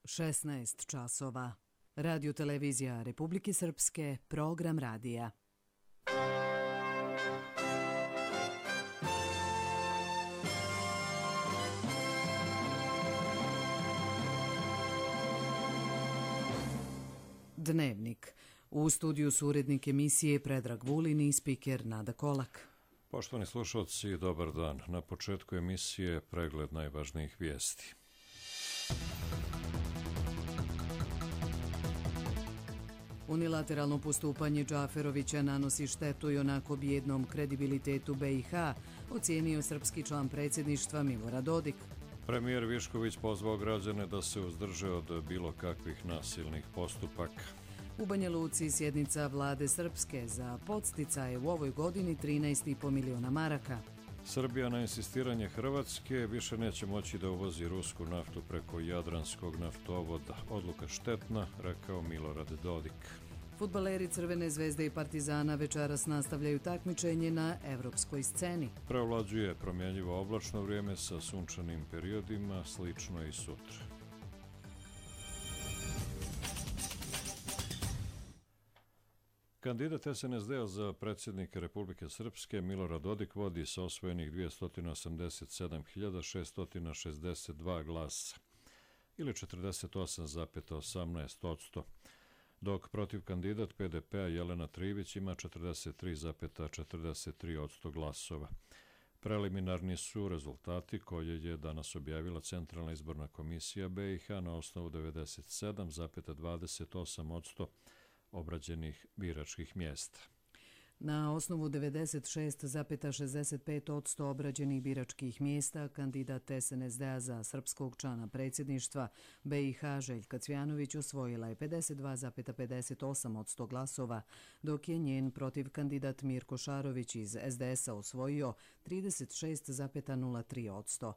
16 časova. Radio televizija Republike Srpske, program radija. Dnevnik. U studiju su urednik emisije Predrag Vulin i spiker Nada Kolak. Poštovani slušalci, dobar dan. Na početku emisije pregled najvažnijih vijesti. Unilateralno postupanje Džaferovića nanosi štetu i onako bijednom kredibilitetu BiH, ocijenio srpski član predsjedništva Milorad Dodik. Premijer Višković pozvao građane da se uzdrže od bilo kakvih nasilnih postupaka. U Banja Luci sjednica vlade Srpske za podsticaje u ovoj godini 13,5 miliona maraka. Srbija na insistiranje Hrvatske više neće moći da uvozi rusku naftu preko Jadranskog naftovoda. Odluka štetna, rekao Milorad Dodik. Fudbaleri Crvene zvezde i Partizana večeras nastavljaju takmičenje na evropskoj sceni. Preovlađuje promjenjivo oblačno vrijeme sa sunčanim periodima, slično i sutra. Kandidat SNSD-a za predsjednika Republike Srpske Milorad Dodik vodi sa osvojenih 287.662 glasa ili 48,18%, dok protiv kandidat PDP-a Jelena Trivić ima 43,43% glasova. Preliminarni su rezultati koje je danas objavila Centralna izborna komisija BiH na osnovu 97,28% obrađenih biračkih mjesta. Na osnovu 96,65% obrađenih biračkih mjesta, kandidat SNSD-a za srpskog člana predsjedništva BiH Željka Cvjanović osvojila je 52,58% glasova, dok je njen protiv kandidat Mirko Šarović iz SDS-a osvojio 36,03%.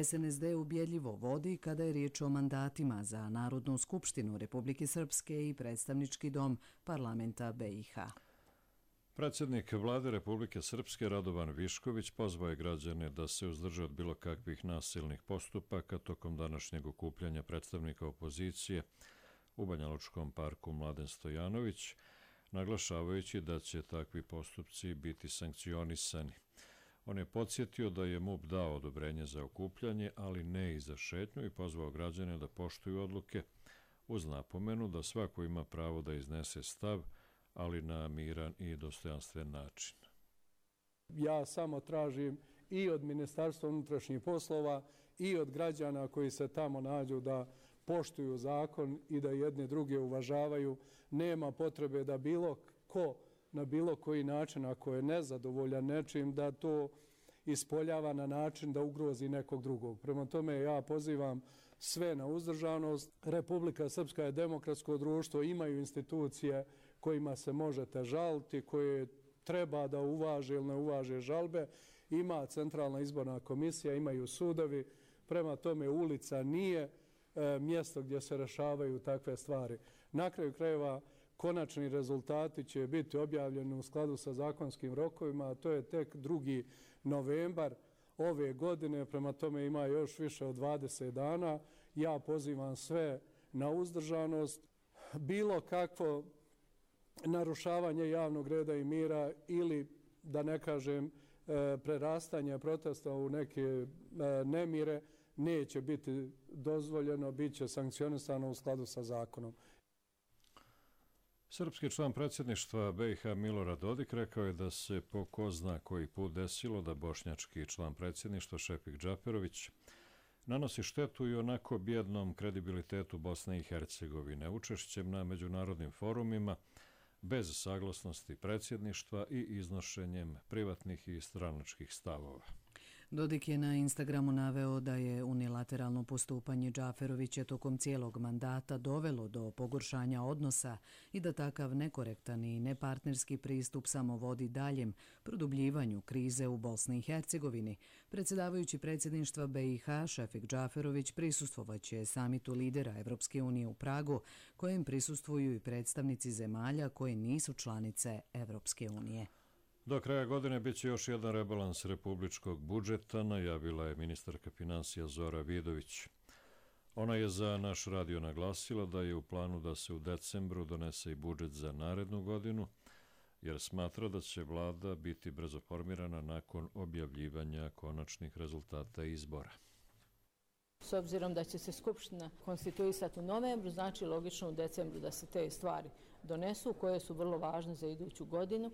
SNSD ubjedljivo vodi kada je riječ o mandatima za Narodnu skupštinu Republike Srpske i predstavnički dom parlamenta BiH. Predsjednik vlade Republike Srpske Radovan Višković pozvao je građane da se uzdrže od bilo kakvih nasilnih postupaka tokom današnjeg okupljanja predstavnika opozicije u Banjalučkom parku Mladen Stojanović, naglašavajući da će takvi postupci biti sankcionisani. On je podsjetio da je MUP dao odobrenje za okupljanje, ali ne i za šetnju, i pozvao građane da poštuju odluke uz napomenu da svako ima pravo da iznese stav, ali na miran i dostojanstven način. Ja samo tražim i od Ministarstva unutrašnjih poslova i od građana koji se tamo nađu da poštuju zakon i da jedne druge uvažavaju. Nema potrebe da bilo ko na bilo koji način, ako je nezadovoljan nečim, da to ispoljava na način da ugrozi nekog drugog. Prema tome ja pozivam sve na uzdržanost. Republika Srpska je demokratsko društvo, imaju institucije kojima se možete žaliti, koje treba da uvaže ili ne uvaže žalbe. Ima Centralna izborna komisija, imaju sudovi. Prema tome ulica nije mjesto gdje se rešavaju takve stvari. Na kraju krajeva konačni rezultati će biti objavljeni u skladu sa zakonskim rokovima, a to je tek 2. novembar ove godine, prema tome ima još više od 20 dana. Ja pozivam sve na uzdržanost. Bilo kakvo narušavanje javnog reda i mira ili, da ne kažem, prerastanje protesta u neke nemire neće biti dozvoljeno, bit će sankcionisano u skladu sa zakonom. Srpski član predsjedništva BiH Milorad Dodik rekao je da se po ko zna koji put desilo da bošnjački član predsjedništva Šefik Džaferović nanosi štetu i onako bijednom kredibilitetu Bosne i Hercegovine učešćem na međunarodnim forumima bez saglasnosti predsjedništva i iznošenjem privatnih i stranačkih stavova. Dodik je na Instagramu naveo da je unilateralno postupanje Džaferovića tokom cijelog mandata dovelo do pogoršanja odnosa i da takav nekorektan i nepartnerski pristup samo vodi daljem produbljivanju krize u Bosni i Hercegovini. Predsjedavajući predsjedništva BiH Šefik Džaferović prisustvovaće samitu lidera Evropske unije u Pragu, kojem prisustvuju i predstavnici zemalja koje nisu članice Evropske unije. Do kraja godine bit će još jedan rebalans republičkog budžeta, najavila je ministarka finansija Zora Vidović. Ona je za naš radio naglasila da je u planu da se u decembru donese i budžet za narednu godinu, jer smatra da će vlada biti brzo formirana nakon objavljivanja konačnih rezultata izbora. S obzirom da će se Skupština konstituisati u novembru, znači logično u decembru da se te stvari donesu, koje su vrlo važne za iduću godinu.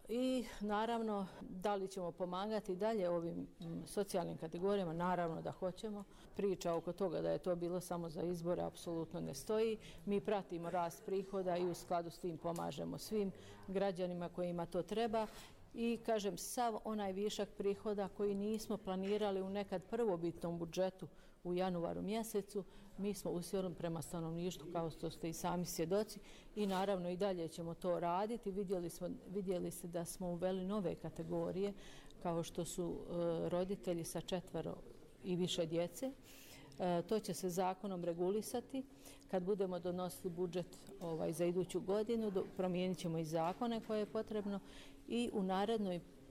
I naravno, da li ćemo pomagati dalje ovim socijalnim kategorijama? Naravno da hoćemo. Priča oko toga da je to bilo samo za izbore apsolutno ne stoji. Mi pratimo rast prihoda i u skladu s tim pomažemo svim građanima kojima to treba. I kažem, sav onaj višak prihoda koji nismo planirali u nekad prvobitnom budžetu u januaru mjesecu, mi smo usmjerili prema stanovništvu, kao što ste i sami svjedoci, i naravno i dalje ćemo to raditi. Vidjeli ste da smo uveli nove kategorije, kao što su roditelji sa 4 i više djece. To će se zakonom regulisati. Kad budemo donosili budžet za iduću godinu, promijenit ćemo i zakone koje je potrebno i u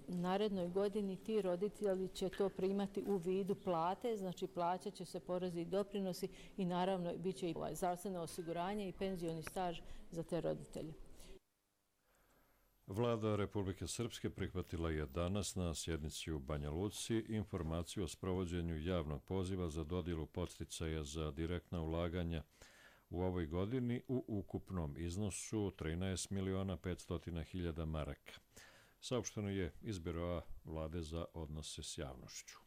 narednoj godini ti roditelji će to primati u vidu plate, znači plaćat će se porezi i doprinosi i naravno bit će i zdravstveno osiguranje i penzioni staž za te roditelje. Vlada Republike Srpske prihvatila je danas na sjednici u Banja Luci informaciju o sprovođenju javnog poziva za dodjelu podsticaja za direktna ulaganja u ovoj godini u ukupnom iznosu 13.500.000 maraka. Saopšteno je iz Biroa Vlade za odnose s javnošću.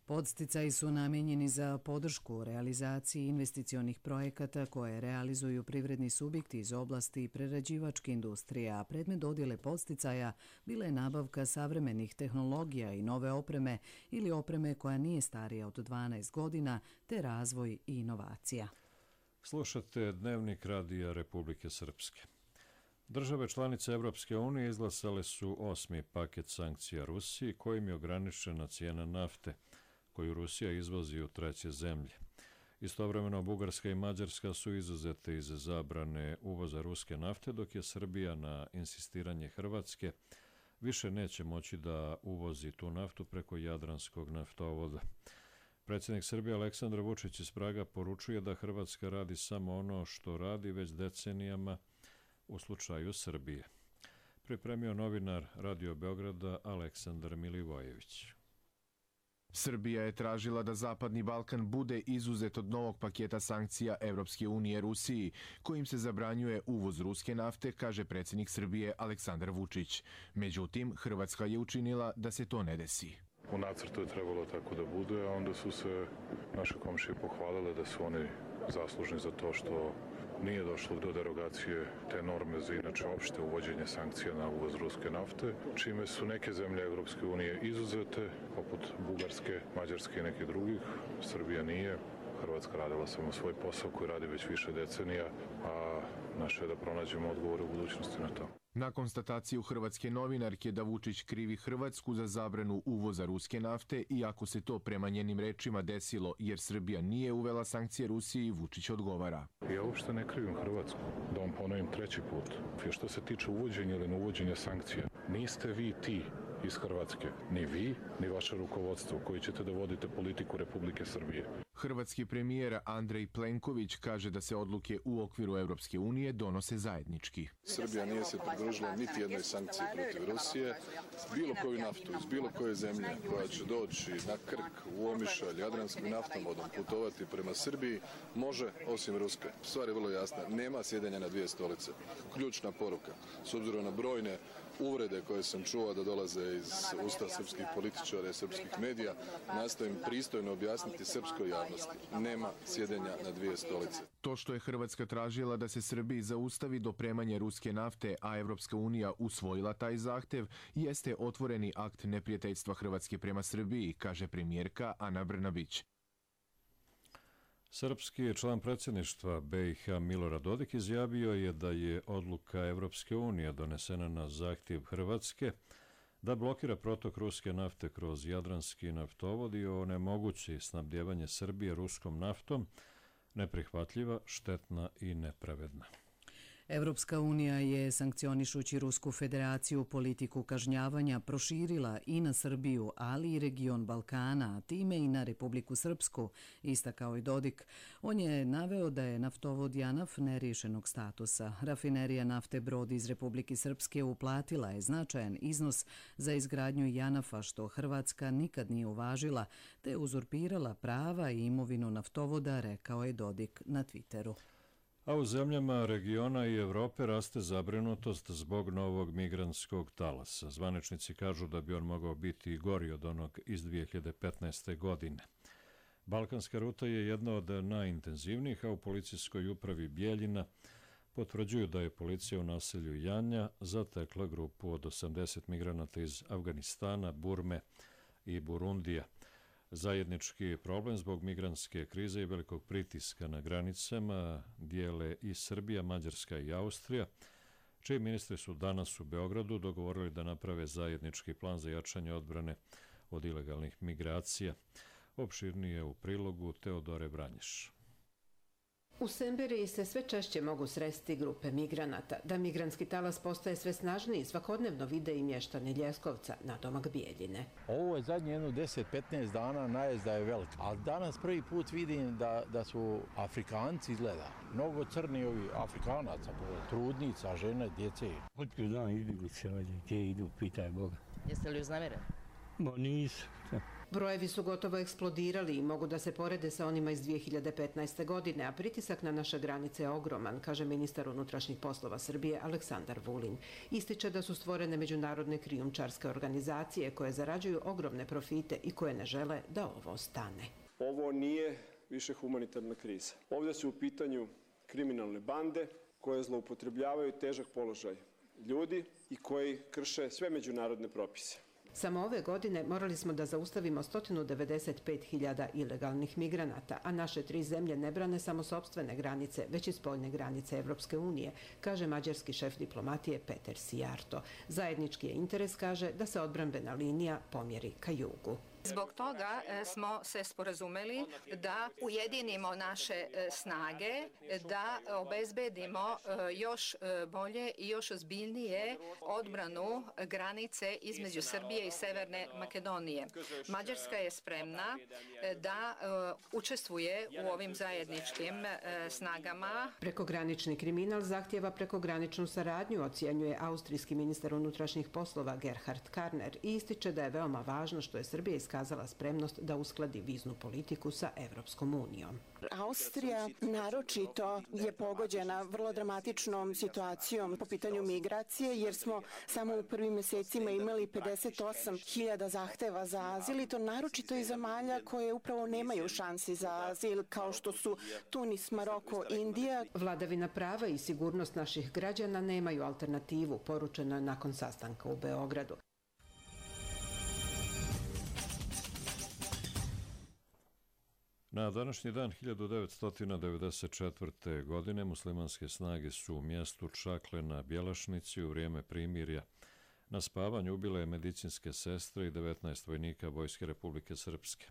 Podsticaji su namijenjeni za podršku realizaciji investicionih projekata koje realizuju privredni subjekti iz oblasti prerađivačke industrije, a predmet dodjele podsticaja bila je nabavka savremenih tehnologija i nove opreme ili opreme koja nije starija od 12 godina, te razvoj i inovacija. Slušate Dnevnik Radija Republike Srpske. Države članice Evropske unije izglasale su 8. paket sankcija Rusiji kojim je ograničena cijena nafte koju Rusija izvozi u treće zemlje. Istovremeno, Bugarska i Mađarska su izuzete iz zabrane uvoza ruske nafte, dok je Srbija na insistiranje Hrvatske više neće moći da uvozi tu naftu preko Jadranskog naftovoda. Predsjednik Srbije Aleksandar Vučić iz Praga poručuje da Hrvatska radi samo ono što radi već decenijama u slučaju Srbije. Pripremio novinar Radio Beograda Aleksandar Milivojević. Srbija je tražila da Zapadni Balkan bude izuzet od novog paketa sankcija Evropske unije Rusiji, kojim se zabranjuje uvoz ruske nafte, kaže predsjednik Srbije Aleksandar Vučić. Međutim, Hrvatska je učinila da se to ne desi. U nacrtu je trebalo tako da bude, a onda su se naše komšije pohvalile da su oni zaslužni za to što nije došlo do derogacije te norme za inače opšte uvođenje sankcija na uvoz ruske nafte, čime su neke zemlje Evropske unije izuzete, poput Bugarske, Mađarske i nekih drugih. Srbija nije. Hrvatska radila samo svoj posao koji radi već više decenija, a naše je da pronađemo odgovore u budućnosti na to. Na konstataciju hrvatske novinarke da Vučić krivi Hrvatsku za zabranu uvoza ruske nafte, iako se to prema njenim rečima desilo jer Srbija nije uvela sankcije Rusiji, Vučić odgovara. Ja uopšte ne krivim Hrvatsku, da vam ponovim treći put. Što se tiče uvođenja ili neuvođenja sankcija, niste vi ti iz Hrvatske, ni vi, ni vaše rukovodstvo koji ćete da vodite politiku Republike Srbije. Hrvatski premijer Andrej Plenković kaže da se odluke u okviru Evropske unije donose zajednički. Srbija nije se pridružila niti jednoj sankciji protiv Rusije. Bilo koju naftu iz bilo koje zemlje koja će doći na Krk, u Omišalj, Jadranskim naftovodom putovati prema Srbiji može, osim ruske. Stvar je vrlo jasna, nema sjedenja na dvije stolice. Ključna poruka, s obzirom na brojne uvrede koje sam čuo da dolaze iz usta srpskih političara i srpskih medija, nastojim pristojno objasniti srpskoj javnosti. Nema sjedenja na dvije stolice. To što je Hrvatska tražila da se Srbiji zaustavi dopremanje ruske nafte, a Evropska unija usvojila taj zahtev, jeste otvoreni akt neprijateljstva Hrvatske prema Srbiji, kaže premijerka Ana Brnabić. Srpski član predsjedništva BiH Milorad Dodik izjavio je da je odluka Evropske unije donesena na zahtjev Hrvatske da blokira protok ruske nafte kroz Jadranski naftovod i onemogući snabdjevanje Srbije ruskom naftom neprihvatljiva, štetna i nepravedna. Evropska unija je, sankcionišući Rusku federaciju, politiku kažnjavanja proširila i na Srbiju, ali i region Balkana, a time i na Republiku Srpsku, istakao i Dodik. On je naveo da je naftovod Janaf neriješenog statusa. Rafinerija nafte Brod iz Republike Srpske uplatila je značajan iznos za izgradnju Janafa, što Hrvatska nikad nije uvažila, te uzurpirala prava i imovinu naftovoda, rekao je Dodik na Twitteru. A u zemljama regiona i Evrope raste zabrinutost zbog novog migrantskog talasa. Zvaničnici kažu da bi on mogao biti i gori od onog iz 2015. godine. Balkanska ruta je jedna od najintenzivnijih, a u policijskoj upravi Bijeljina potvrđuju da je policija u naselju Janja zatekla grupu od 80 migranata iz Afganistana, Burme i Burundija. Zajednički problem zbog migrantske krize i velikog pritiska na granicama dijele i Srbija, Mađarska i Austrija, čiji ministri su danas u Beogradu dogovorili da naprave zajednički plan za jačanje odbrane od ilegalnih migracija. Opširnije u prilogu Teodore Vranješ. U Semberiji se sve češće mogu sresti grupe migranata. Da migrantski talas postaje sve snažniji, svakodnevno vide i mještani Ljeskovca, nadomak Bijeljine. Ovo je zadnje 10-15 dana, najezda je velika. A danas prvi put vidim da su Afrikanci izgleda. Mnogo crni ovi Afrikanaca, trudnica, žene, djece. Otkud dan izbjeglice ovdje, gdje idu, pitaj Boga. Jeste li uznamireni? Ma nisu. Brojevi su gotovo eksplodirali i mogu da se porede sa onima iz 2015. godine, a pritisak na naše granice je ogroman, kaže ministar unutrašnjih poslova Srbije Aleksandar Vulin. Ističe da su stvorene međunarodne krijumčarske organizacije koje zarađuju ogromne profite i koje ne žele da ovo stane. Ovo nije više humanitarna kriza. Ovdje su u pitanju kriminalne bande koje zloupotrebljavaju težak položaj ljudi i koji krše sve međunarodne propise. Samo ove godine morali smo da zaustavimo 195.000 ilegalnih migranata, a naše 3 zemlje ne brane samo sopstvene granice, već i spoljne granice Evropske unije, kaže mađarski šef diplomatije Peter Sijarto. Zajednički je interes, kaže, da se odbrambena linija pomjeri ka jugu. Zbog toga smo se sporazumeli da ujedinimo naše snage, da obezbedimo još bolje i još ozbiljnije odbranu granice između Srbije i Severne Makedonije. Mađarska je spremna da učestvuje u ovim zajedničkim snagama. Prekogranični kriminal zahtjeva prekograničnu saradnju, ocjenjuje austrijski ministar unutrašnjih poslova Gerhard Karner i ističe da je veoma važno što je Srbija iskazala spremnost da uskladi viznu politiku sa Evropskom unijom. Austrija naročito je pogođena vrlo dramatičnom situacijom po pitanju migracije, jer smo samo u prvim mjesecima imali 58.000 zahteva za azil i to naročito iz zemalja koje upravo nemaju šansi za azil, kao što su Tunis, Maroko, Indija. Vladavina prava i sigurnost naših građana nemaju alternativu, poručeno je nakon sastanka u Beogradu. Na današnji dan 1994. godine muslimanske snage su u mjestu Čakle na Bjelašnici u vrijeme primirja na spavanju ubile medicinske sestre i 19 vojnika Vojske Republike Srpske.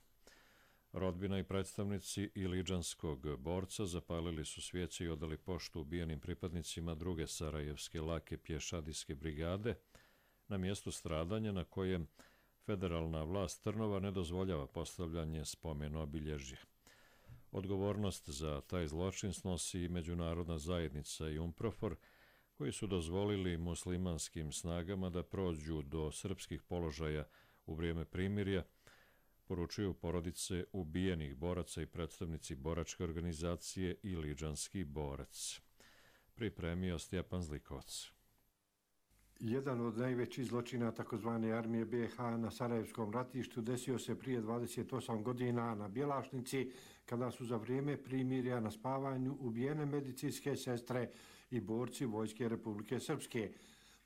Rodbina i predstavnici iliđanskog borca zapalili su svijeće i odali poštu ubijenim pripadnicima druge sarajevske lake pješadijske brigade na mjestu stradanja na kojem federalna vlast Trnova ne dozvoljava postavljanje spomen obilježja. Odgovornost za taj zločin snosi i međunarodna zajednica i UNPROFOR, koji su dozvolili muslimanskim snagama da prođu do srpskih položaja u vrijeme primirja, poručuju porodice ubijenih boraca i predstavnici boračke organizacije Iliđanski borac. Pripremio Stjepan Zlikovac. Jedan od najvećih zločina takozvane armije BiH na Sarajevskom ratištu desio se prije 28 godina na Bjelašnici, kada su za vrijeme primirja na spavanju ubijene medicinske sestre i borci Vojske Republike Srpske.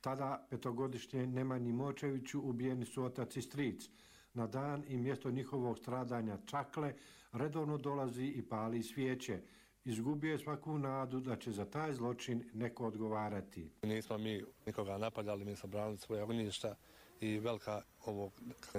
Tada petogodišnje Nemanji Močeviću ubijeni su otac i stric. Na dan i mjesto njihovog stradanja Čakle redovno dolazi i pali svijeće. Izgubio je svaku nadu da će za taj zločin neko odgovarati. Nismo mi nikoga napadali, mi smo branili svoje ognjišta i velika ovo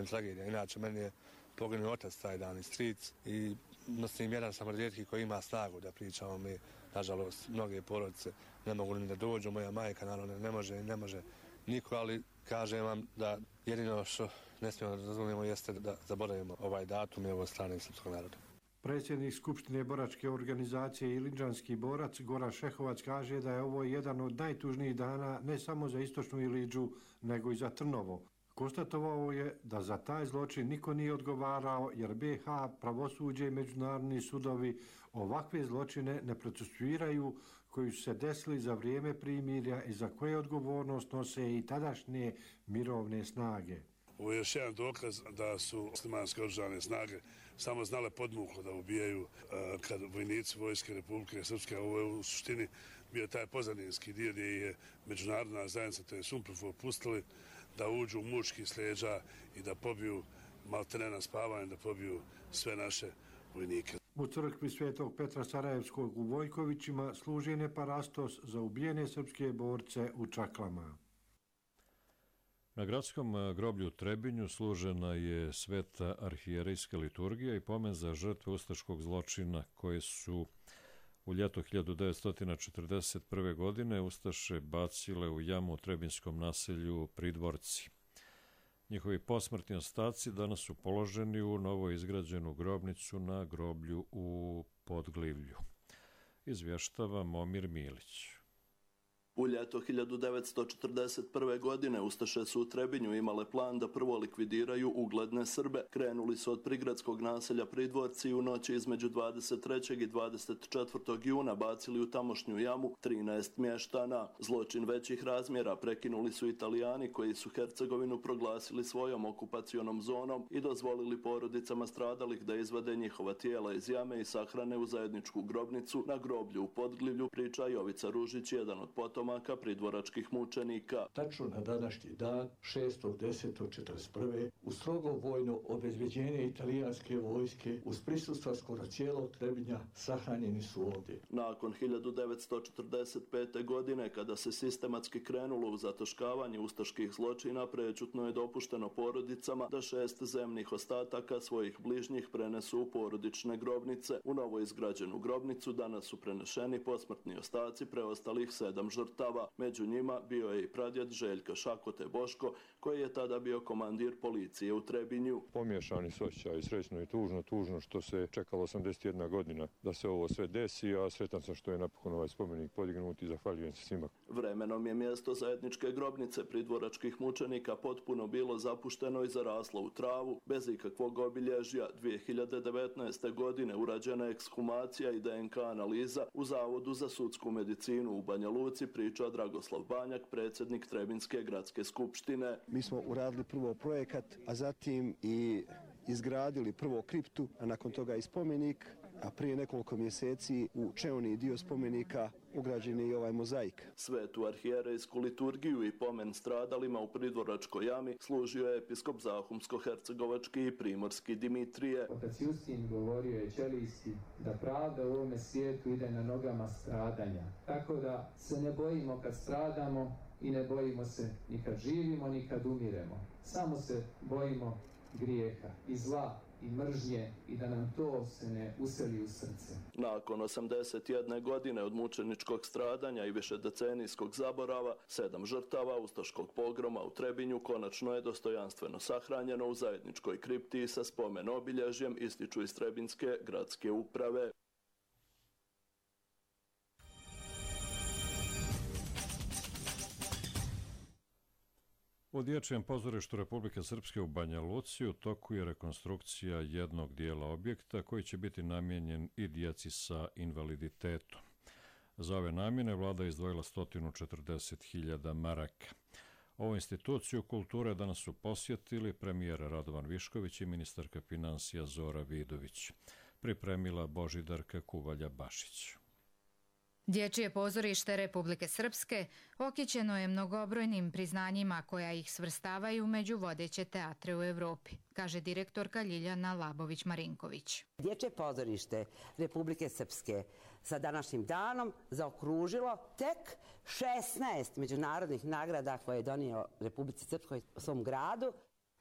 tragedija. Inače, meni je poginuo otac taj dan i stric i nosim jedan sam od rijetkih koji ima snagu da pričamo mi. Nažalost, mnoge porodice ne mogu ni da dođu, moja majka naravno ne može niko, ali kažem vam da jedino što ne smijemo da dozvolimo jeste da zaboravimo ovaj datum i ovo strane srpskog naroda. Predsjednik Skupštine boračke organizacije Ilidžanski borac Goran Šehovac kaže da je ovo jedan od najtužnijih dana ne samo za istočnu Ilidžu, nego i za Trnovo. Konstatovao je da za taj zločin niko nije odgovarao jer BiH, pravosuđe i međunarodni sudovi ovakve zločine ne procesuiraju koji su se desili za vrijeme primirja i za koje odgovornost nose i tadašnje mirovne snage. Ovo je još jedan dokaz da su muslimanske oružane snage samo znale podmuklo da ubijaju kad vojnici Vojske Republike Srpske. Ovo je u suštini bio taj pozadinski dio gdje je međunarodna zajednica, to je Sumprof, pustili da uđu u mučki sleđa i da pobiju maltene na spavanje, da pobiju sve naše vojnike. U crkvi Svetog Petra Sarajevskog u Vojkovićima služen je parastos za ubijene srpske borce u Čaklama. Na gradskom groblju u Trebinju služena je sveta arhijerejska liturgija i pomen za žrtve ustaškog zločina koje su u ljeto 1941. godine ustaše bacile u jamu u trebinskom naselju Pridvorci. Njihovi posmrtni ostaci danas su položeni u novo izgrađenu grobnicu na groblju u Podglivlju. Izvještava Momir Milić. U ljeto 1941. godine ustaše su u Trebinju imale plan da prvo likvidiraju ugledne Srbe. Krenuli su od prigradskog naselja Pridvorci i u noći između 23. i 24. juna bacili u tamošnju jamu 13 mještana. Zločin većih razmjera prekinuli su Italijani koji su Hercegovinu proglasili svojom okupacionom zonom i dozvolili porodicama stradalih da izvade njihova tijela iz jame i sahrane u zajedničku grobnicu na groblju u Podglivlju, priča Jovica Ružić, jedan od potomaka pridvoračkih mučenika. Tačno na današnji dan, 6.10.41. u strogo vojno obezbeđenje italijanske vojske uz prisustva skoro cijelog Trebinja sahranjeni su ovdje. Nakon 1945. godine, kada se sistematski krenulo u zataškavanje ustaških zločina, prečutno je dopušteno porodicama da 6 zemnih ostataka svojih bližnjih prenesu u porodične grobnice. U novo izgrađenu grobnicu danas su prenešeni posmrtni ostaci preostalih 7 žrtava. Među njima bio je i pradjed Željka Šakote Boško, koji je tada bio komandir policije u Trebinju. Pomiješani su osjećaji, srećno i tužno što se čekalo 81 godina da se ovo sve desi, a sretan sam što je napokon ovaj spomenik podignut i zahvaljujem se svima. Vremenom je mjesto zajedničke grobnice pridvoračkih mučenika potpuno bilo zapušteno i zaraslo u travu, bez ikakvog obilježja. 2019. godine urađena ekshumacija i DNK analiza u Zavodu za sudsku medicinu u Banja Luci, priča Dragoslav Banjak, predsjednik Trebinske gradske skupštine. Mi smo uradili prvo projekat, a zatim i izgradili prvo kriptu, a nakon toga i spomenik, a prije nekoliko mjeseci u čeoni dio spomenika ugrađen je i ovaj mozaik. Svetu arhijerejsku liturgiju i pomen stradalima u Pridvoračkoj jami služio je episkop Zahumsko-hercegovački i primorski Dimitrije. Otac Justin govorio je Ćelijski da pravda u ovome svijetu ide na nogama stradanja. Tako da se ne bojimo kad stradamo i ne bojimo se ni kad živimo ni kad umiremo. Samo se bojimo grijeha i zla i mržnje i da nam to se ne useli u srce. Nakon 81 godine od mučeničkog stradanja i višedecenijskog zaborava, 7 žrtava ustaškog pogroma u Trebinju konačno je dostojanstveno sahranjeno u zajedničkoj kripti sa spomen obilježjem, ističu iz Trebinske gradske uprave. U Dječjem pozorištu Republike Srpske u Banja Luci u toku je rekonstrukcija jednog dijela objekta koji će biti namijenjen i djeci sa invaliditetom. Za ove namjene vlada je izdvojila 140.000 maraka. Ovu instituciju kulture danas su posjetili premijer Radovan Višković i ministarka financija Zora Vidović. Pripremila Božidarka Kuvalja-Bašić. Dječje pozorište Republike Srpske okićeno je mnogobrojnim priznanjima koja ih svrstavaju među vodeće teatre u Evropi, kaže direktorka Ljiljana Labović-Marinković. Dječje pozorište Republike Srpske sa današnjim danom zaokružilo tek 16 međunarodnih nagrada koje je donio Republici Srpskoj svom gradu.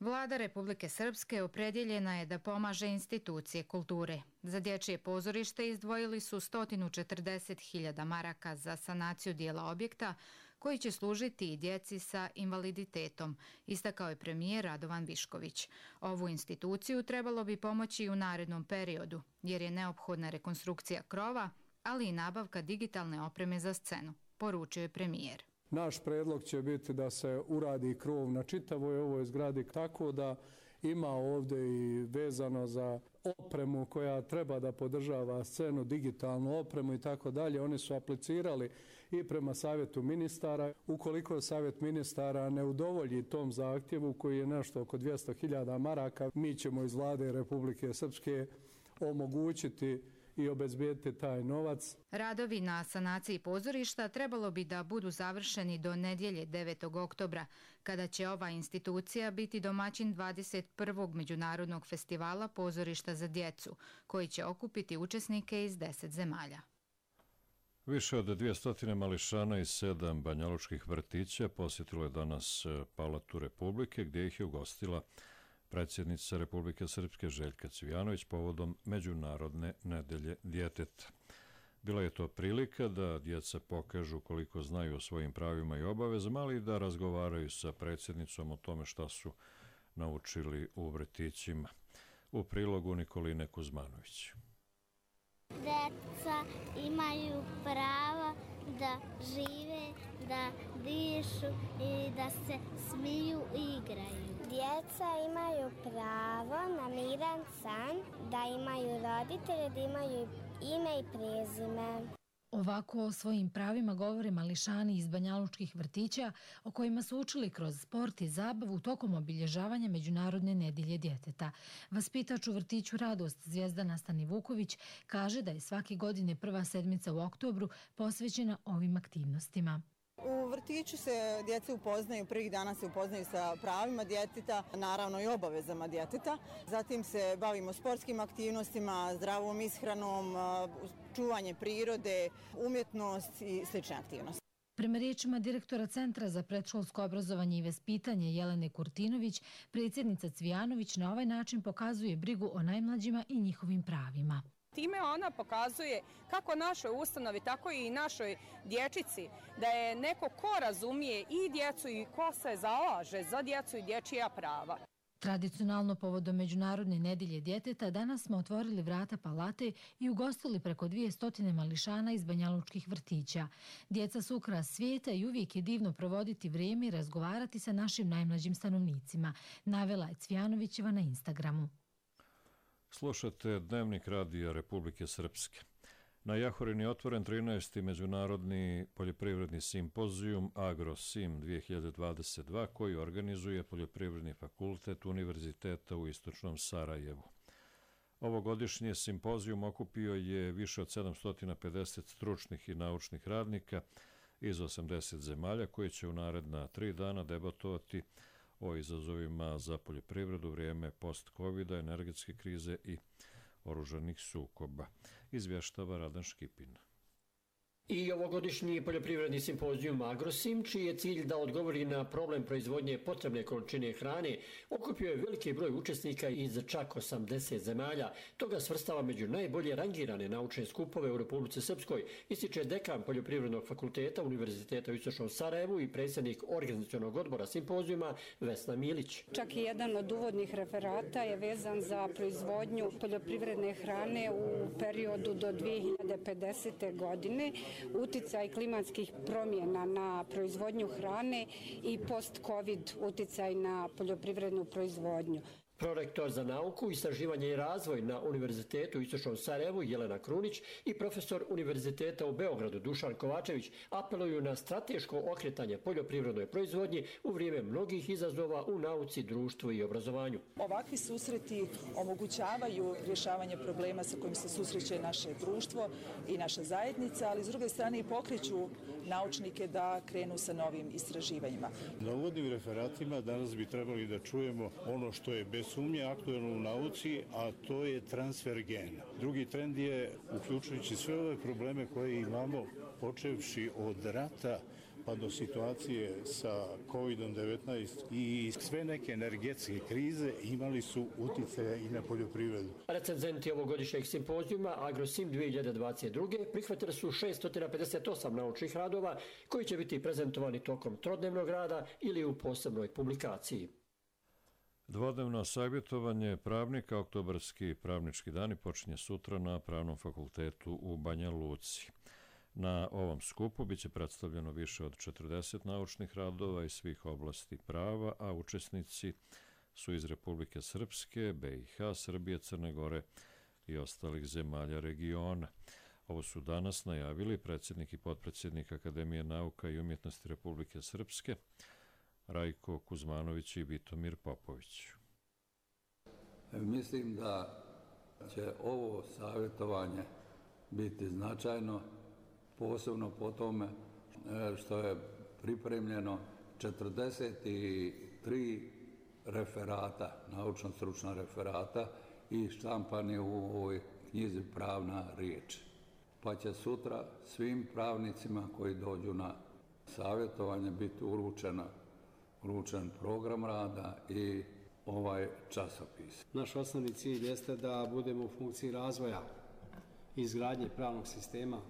Vlada Republike Srpske opredjeljena je da pomaže institucije kulture. Za dječje pozorište izdvojili su 140.000 maraka za sanaciju dijela objekta koji će služiti i djeci sa invaliditetom, istakao je premijer Radovan Višković. Ovu instituciju trebalo bi pomoći i u narednom periodu, jer je neophodna rekonstrukcija krova, ali i nabavka digitalne opreme za scenu, poručio je premijer. Naš predlog će biti da se uradi krov na čitavoj ovoj zgradi tako da ima ovdje i vezano za opremu koja treba da podržava scenu, digitalnu opremu i tako dalje. Oni su aplicirali i prema Savjetu ministara. Ukoliko Savjet ministara ne udovolji tom zahtjevu koji je nešto oko 200.000 maraka, mi ćemo iz Vlade Republike Srpske omogućiti i obezbijediti taj novac. Radovi na sanaciji pozorišta trebalo bi da budu završeni do nedjelje 9. oktobra, kada će ova institucija biti domaćin 21. Međunarodnog festivala pozorišta za djecu, koji će okupiti učesnike iz 10 zemalja. Više od 200 mališana iz 7 banjalučkih vrtića posjetilo je danas Palatu Republike, gdje ih je ugostila predsjednica Republike Srpske Željka Cvijanović povodom Međunarodne nedelje djeteta. Bila je to prilika da djeca pokažu koliko znaju o svojim pravima i obavezama, ali i da razgovaraju sa predsjednicom o tome šta su naučili u vrtićima. U prilogu Nikoline Kuzmanović. Deca imaju pravo da žive, da dišu i da se smiju i igraju. Djeca imaju pravo na miran san, da imaju roditelje, da imaju ime i prezime. Ovako o svojim pravima govore mališani iz banjalučkih vrtića o kojima su učili kroz sport i zabavu tokom obilježavanja Međunarodne nedelje djeteta. Vaspitač u vrtiću Radost Zvijezdana Stanivuković kaže da je svake godine prva sedmica u oktobru posvećena ovim aktivnostima. U vrtiću se djeca upoznaju, prvih dana se upoznaju sa pravima djeteta, naravno i obavezama djeteta. Zatim se bavimo sportskim aktivnostima, zdravom ishranom, čuvanje prirode, umjetnost i slične aktivnosti. Prema riječima direktora Centra za predškolsko obrazovanje i vaspitanje Jelene Kurtinović, predsjednica Cvijanović na ovaj način pokazuje brigu o najmlađima i njihovim pravima. Time ona pokazuje kako našoj ustanovi, tako i našoj dječici, da je neko ko razumije i djecu i ko se zalaže za djecu i dječija prava. Tradicionalno povodom Međunarodne nedelje djeteta danas smo otvorili vrata palate i ugostili preko 200 mališana iz banjalučkih vrtića. Djeca su ukras svijeta i uvijek je divno provoditi vrijeme i razgovarati sa našim najmlađim stanovnicima, navela je Cvijanovićeva na Instagramu. Slušate Dnevnik radija Republike Srpske. Na Jahorini je otvoren 13. Međunarodni poljoprivredni simpozijum AgroSim 2022 koji organizuje Poljoprivredni fakultet Univerziteta u Istočnom Sarajevu. Ovogodišnji simpozijum okupio je više od 750 stručnih i naučnih radnika iz 80 zemalja koji će u naredna 3 dana debatovati o izazovima za poljoprivredu, vrijeme post-covida, energetske krize i oružanih sukoba. Izvještava Radan Škipin. I ovogodišnji poljoprivredni simpozijum AgroSim, čiji je cilj da odgovori na problem proizvodnje potrebne količine hrane, okupio je veliki broj učesnika iz čak 80 zemalja. Toga svrstava među najbolje rangirane naučne skupove u Republici Srpskoj, ističe dekan Poljoprivrednog fakulteta Univerziteta u Istočnom Sarajevu i predsjednik organizacionog odbora simpozijuma Vesna Milić. Čak i jedan od uvodnih referata je vezan za proizvodnju poljoprivredne hrane u periodu do 2050. godine, uticaj klimatskih promjena na proizvodnju hrane i post-covid uticaj na poljoprivrednu proizvodnju. Prorektor za nauku, istraživanje i razvoj na Univerzitetu u Istočnom Sarajevu Jelena Krunić i profesor Univerziteta u Beogradu Dušan Kovačević apeluju na strateško okretanje poljoprivrednoj proizvodnji u vrijeme mnogih izazova u nauci, društvu i obrazovanju. Ovakvi susreti omogućavaju rješavanje problema sa kojim se susreće naše društvo i naša zajednica, ali s druge strane i pokreću naučnike da krenu sa novim istraživanjima. Na uvodnim referatima danas bi trebali da čujemo ono što je bez sumnje aktualno u nauci, a to je transfer gena. Drugi trend je, uključujući sve ove probleme koje imamo, počevši od rata pa do situacije sa COVID-19 i sve neke energetske krize imali su utjecaja i na poljoprivredu. Recenzenti ovogodišnjeg simpozijuma AgroSim 2022. prihvatili su 658 naučnih radova koji će biti prezentovani tokom trodnevnog rada ili u posebnoj publikaciji. Dvodnevno savjetovanje pravnika, oktobarski pravnički dani, počinje sutra na Pravnom fakultetu u Banja Luci. Na ovom skupu biće predstavljeno više od 40 naučnih radova iz svih oblasti prava, a učesnici su iz Republike Srpske, BiH, Srbije, Crne Gore i ostalih zemalja regiona. Ovo su danas najavili predsjednik i potpredsjednik Akademije nauka i umjetnosti Republike Srpske, Rajko Kuzmanović i Vitomir Popović. Mislim da će ovo savjetovanje biti značajno, posebno po tome što je pripremljeno 43 referata, naučno-stručna referata i štampani u ovoj knjizi Pravna riječ. Pa će sutra svim pravnicima koji dođu na savjetovanje biti uručen program rada i ovaj časopis. Naš osnovni cilj jeste da budemo u funkciji razvoja i izgradnje pravnog sistema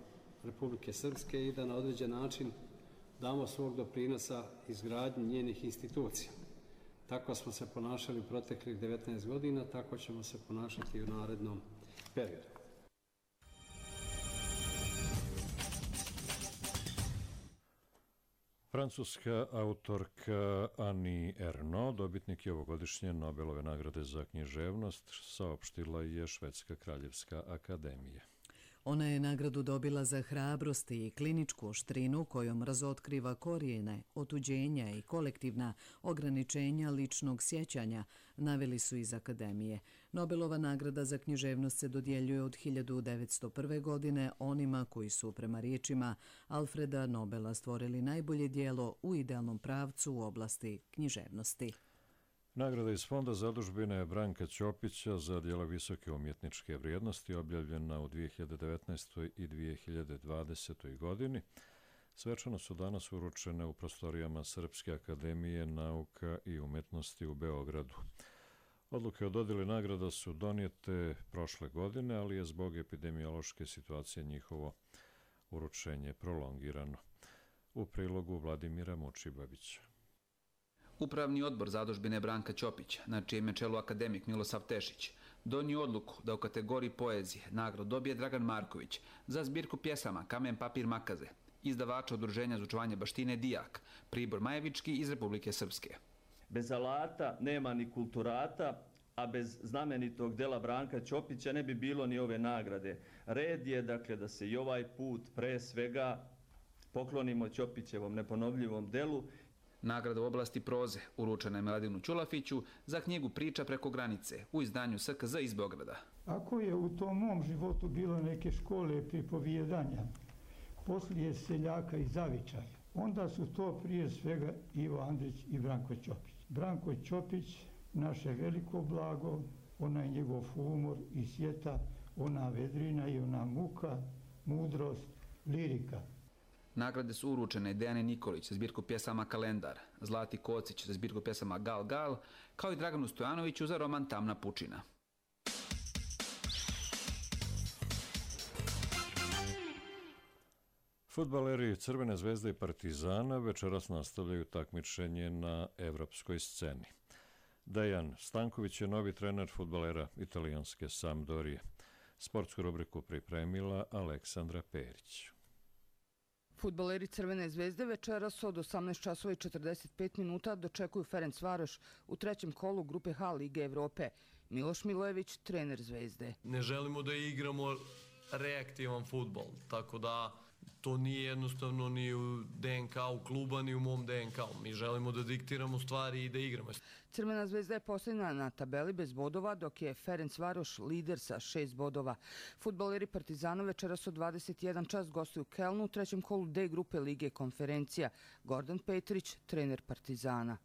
Republike Srpske i da na određen način damo svog doprinosa izgradnji njenih institucija. Tako smo se ponašali u proteklih 19 godina, tako ćemo se ponašati i u narednom periodu. Francuska autorka Annie Ernaux, dobitnik je ovogodišnje Nobelove nagrade za književnost, saopštila je Švedska kraljevska akademija. Ona je nagradu dobila za hrabrost i kliničku oštrinu kojom razotkriva korijene, otuđenja i kolektivna ograničenja ličnog sjećanja, naveli su iz akademije. Nobelova nagrada za književnost se dodjeljuje od 1901. godine onima koji su, prema riječima Alfreda Nobela, stvorili najbolje djelo u idealnom pravcu u oblasti književnosti. Nagrada iz Fonda zadužbine Branka Ćopića za djela visoke umjetničke vrijednosti objavljena u 2019. i 2020. godini svečano su danas uručene u prostorijama Srpske akademije nauka i umjetnosti u Beogradu. Odluke o dodjeli nagrada su donijete prošle godine, ali je zbog epidemiološke situacije njihovo uručenje prolongirano. U prilogu Vladimira Mučibavića. Upravni odbor zadužbine Branka Ćopića, na čijem je čelu akademik Milosav Tešić, donio odluku da u kategoriji poezije nagradu dobije Dragan Marković za zbirku pjesama Kamen, papir, makaze, izdavača Udruženja za očuvanje baštine Dijak, Pribor Majevički iz Republike Srpske. Bez alata nema ni kulturata, a bez znamenitog dela Branka Ćopića ne bi bilo ni ove nagrade. Red je, dakle, da se i ovaj put pre svega poklonimo Ćopićevom neponovljivom delu. Nagrada u oblasti proze uručena je Miladinu Ćulafiću za knjigu Priča preko granice u izdanju SKZ iz Beograda. Ako je u tom mom životu bilo neke škole pripovijedanja, poslije seljaka i zavičaja, onda su to prije svega Ivo Andrić i Branko Ćopić. Branko Ćopić, naše veliko blago, onaj njegov humor i sjeta, ona vedrina i ona muka, mudrost, lirika. Nagrade su uručene Dejane Nikolić za zbirku pjesama Kalendar, Zlati Kocić za zbirku pjesama Gal Gal, kao i Draganu Stojanoviću za roman Tamna pučina. Fudbaleri Crvene zvezde i Partizana večeras nastavljaju takmičenje na evropskoj sceni. Dejan Stanković je novi trener fudbalera italijanske Sampdorije. Sportsku rubriku pripremila Aleksandra Perić. Fudbaleri Crvene zvezde večeras od 18:45 minuta dočekuju Ferencvaroš u trećem kolu grupe H Lige Evrope. Miloš Milojević, trener Zvezde. Ne želimo da igramo reaktivan fudbal, tako da to nije jednostavno ni u DNK-u kluba, ni u mom DNK-u. Mi želimo da diktiramo stvari i da igramo. Crvena zvezda je posljednja na tabeli bez bodova, dok je Ferencvaroš lider sa 6 bodova. Fudbaleri Partizana večeras od 21 čas gostuju Kelnu u trećem kolu D grupe Lige Konferencija. Gordan Petrić, trener Partizana.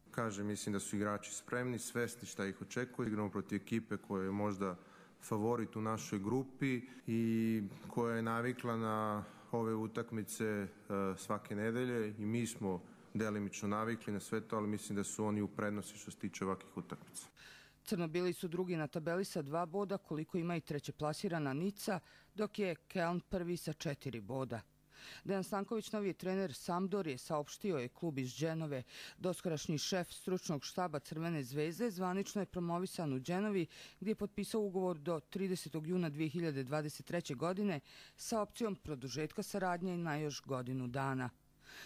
Mislim da su igrači spremni, svesni šta ih očekuje. Igramo protiv ekipe koja je možda favorit u našoj grupi i koja je navikla na ove utakmice svake nedelje i mi smo delimično navikli na sve to, ali mislim da su oni u prednosti što se tiče ovakvih utakmica. Crnobili su drugi na tabeli sa 2 boda, koliko ima i trećeplasirana Nica, dok je Keln prvi sa 4 boda. Dejan Stanković, novi trener Sampdorije, saopštio je klub iz Dženove. Doskorašnji šef stručnog štaba Crvene zvezde zvanično je promovisan u Dženovi, gdje je potpisao ugovor do 30. juna 2023. godine sa opcijom produžetka saradnje na još godinu dana.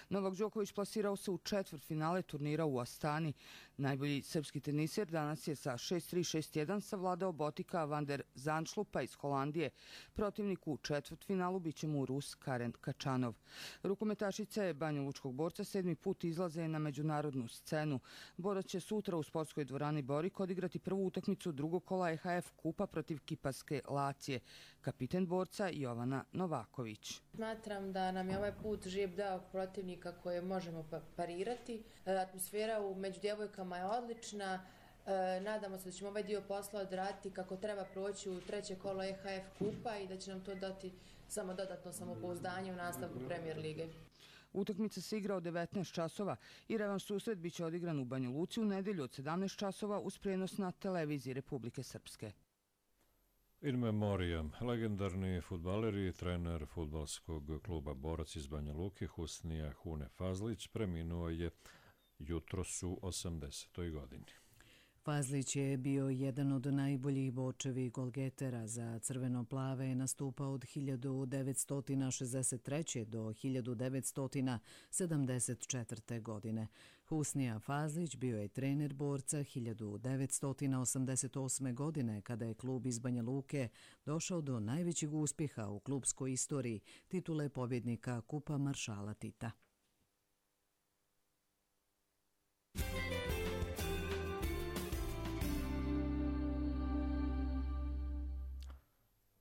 Novak Đoković plasirao se u četvrtfinale turnira u Astani. Najbolji srpski teniser danas je sa 6-3, 6-1 savladao Botika van der Zandschlupa iz Holandije. Protivnik u četvrtfinalu biće mu Rus Karen Kačanov. Rukometašica je banjalučkog borca 7. put izlaze na međunarodnu scenu. Borac će sutra u sportskoj dvorani Borik odigrati prvu utakmicu drugog kola EHF kupa protiv kiparske Lacije. Kapiten borca Jovana Novaković. Smatram da nam je ovaj put živ dao protivnika koje možemo parirati. Atmosfera među djevojkama je odlična. Nadamo se da ćemo ovaj dio posla odraditi kako treba proći u treće kolo EHF kupa i da će nam to dati samo dodatno samopouzdanje u nastavku Premier lige. Utakmica se igra od 19 časova i revanš susret biće odigran u Banja Luci u nedelju od 17 časova uz prenos na televiziji Republike Srpske. In memoriam, legendarni fudbaler i trener fudbalskog kluba Borac iz Banja Luke Husnija Hune Fazlić preminuo je jutros u 80. godini. Fazlić je bio jedan od najboljih bočevi golgetera za crveno-plave, nastupao od 1963. do 1974. godine. Husnija Fazlić bio je trener Borca 1988. godine kada je klub iz Banja Luke došao do najvećeg uspjeha u klubskoj istoriji, titule pobjednika Kupa maršala Tita.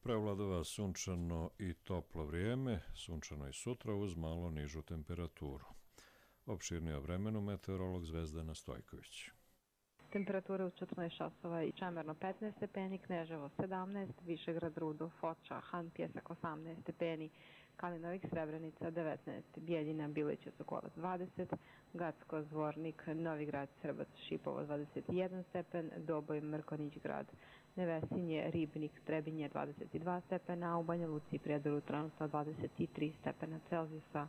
Prevladava sunčano i toplo vrijeme, sunčano i sutra uz malo nižu temperaturu. Opširnije o vremenu meteorolog Zvezdana Stojković. Temperature u 14 časova i Čemerno 15 stepeni, Kneževo 17, Višegrad, Rudo, Foča, Han, Pjesak 18 stepeni, Kalinovik, Srebrenica 19, Bijeljina, Bilića, Sokolac 20, Gacko, Zvornik, Novigrad, Srbac, Šipovo 21 stepen, Doboj, Mrkonjić grad, Nevesinje, Ribnik, Trebinje 22 stepena, a u Banja Luci i Prijedoru trenutno 23 stepena Celzijusa.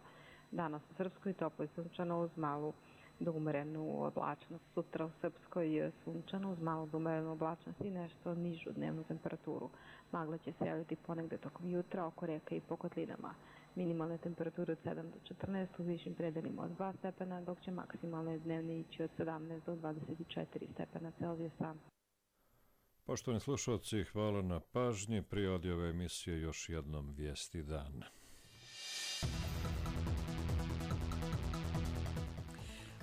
Danas u Srpskoj toplo i sunčano uz malu do umerenu oblačnost. Sutra u Srpskoj sunčano uz malu do umerenu oblačnost i nešto nižu dnevnu temperaturu. Magla će se javiti ponegde tokom jutra oko reka i po kotlinama. Minimalne temperature od 7 do 14, u višim predelima od 2 stepena, dok će maksimalne dnevne ići od 17 do 24 stepena Celzijusa. Poštovani slušalci, hvala na pažnji. Prije odjave emisije još jednom vijesti dana.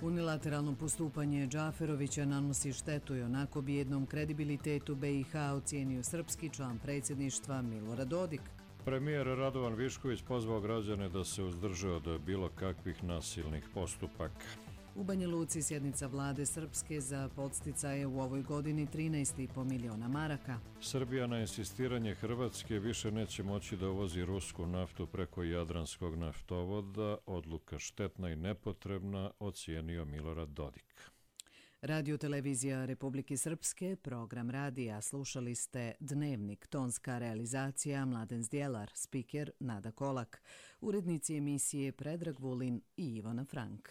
Unilateralno postupanje Džaferovića nanosi štetu i onako bijednom kredibilitetu BiH ocijenio srpski član predsjedništva Milorad Dodik. Premijer Radovan Višković pozvao građane da se uzdrže od bilo kakvih nasilnih postupaka. U Banja Luci sjednica vlade Srpske za podsticaje u ovoj godini 13,5 miliona maraka. Srbija na insistiranje Hrvatske više neće moći da uvozi rusku naftu preko Jadranskog naftovoda. Odluka štetna i nepotrebna, ocijenio Milorad Dodik. Radio televizija Republike Srpske, program radija, slušali ste Dnevnik, tonska realizacija Mladen Zdjelar, spiker Nada Kolak, urednici emisije Predrag Vulin i Ivana Frank.